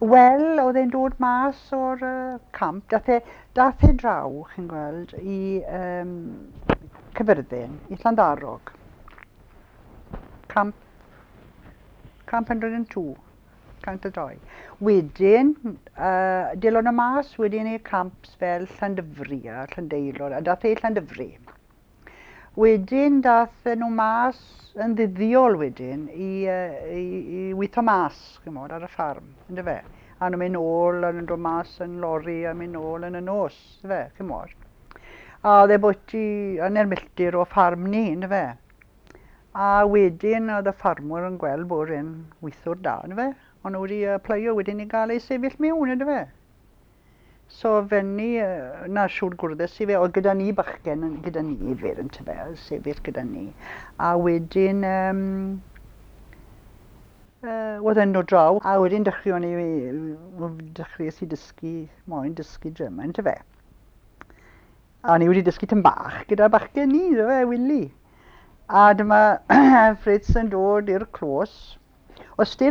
Wel, oedd e'n dod mas o'r camp. Dath e draw, chi'n gweld, i Caerfyrddin, i Llanddarog. Camp 102, 102. Wedyn, dilon y mas wedyn i camps fel Llandyfri a Llandeilo, a dath e i Llandyfri. Wedyn dath nhw mas yn ddyddiol wedyn i weithio mas, chimod, ar y ffarm, yndyfe? A nhw'n mynd nôl, a nhw'n dod mas yn lori a mynd nôl yn y nos, yndyfe, chimod. A oedd e bwyty hanner milltir o ffarm ni, yndyfe? A wedyn oedd y ffarmwr yn gweld bod e'n weithiwr da, yndyfe? Ond nhw wedi applio wedyn i gael ei sefyll mewn, yndyfe? So fenni, na siŵr gwrddus i fe, oedd gyda ni bachgen, gyda ni fe, yntyfe, sefyll gyda ni. A wedyn, oedd e'n dod draw, a wedyn dechreuon ni, dechreuais i dysgu, moyn dysgu German, yntyfe. A ni wedi dysgu tym bach gyda bachgen ni, yntyfe, Willy. A dyma Fritz yn dod i'r clos. Oedd still